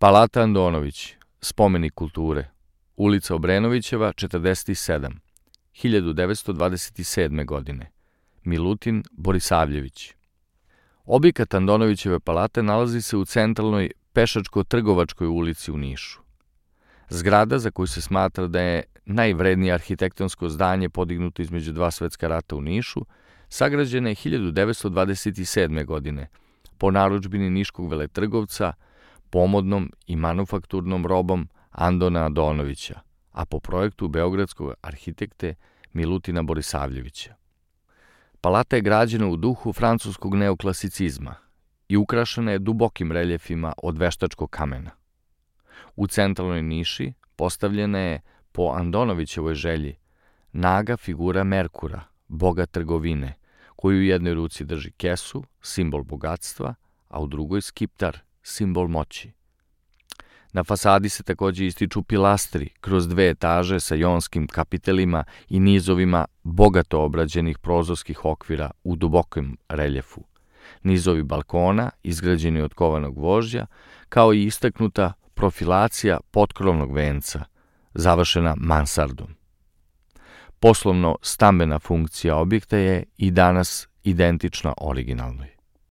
Palata Andonović, spomenik kulture, ulica Obrenovićeva, 47, 1927. godine. Milutin Borisavljević. Objekat Andonovićeve palate nalazi se u centralnoj Pešačko-trgovačkoj ulici u Nišu. Zgrada, za koju se smatra da je najvrednije arhitektonsko zdanje podignuto između dva svetska rata u Nišu, sagrađena je 1927. godine po narudžbini niškog veletrgovca, pomodnom i manufakturnom robom Andona Andonovića, a po projektu beogradskog arhitekte Milutina Borisavljevića. Palata je građena u duhu francuskog neoklasicizma i ukrašena je dubokim reljefima od veštačkog kamena. U centralnoj niši postavljena je, po Andonovićevoj želji, naga figura Merkura, boga trgovine, koji u jednoj ruci drži kesu, simbol bogatstva, a u drugoj skiptar, simbol moći. Na fasadi se takođe ističu pilastri kroz 2 etaže sa jonskim kapitelima i nizovima bogato obrađenih prozorskih okvira u dubokom reljefu, nizovi balkona izgrađeni od kovanog gvožđa, kao i istaknuta profilacija potkrovnog venca, završena mansardom. Poslovno-stambena funkcija objekta je i danas identična originalnoj.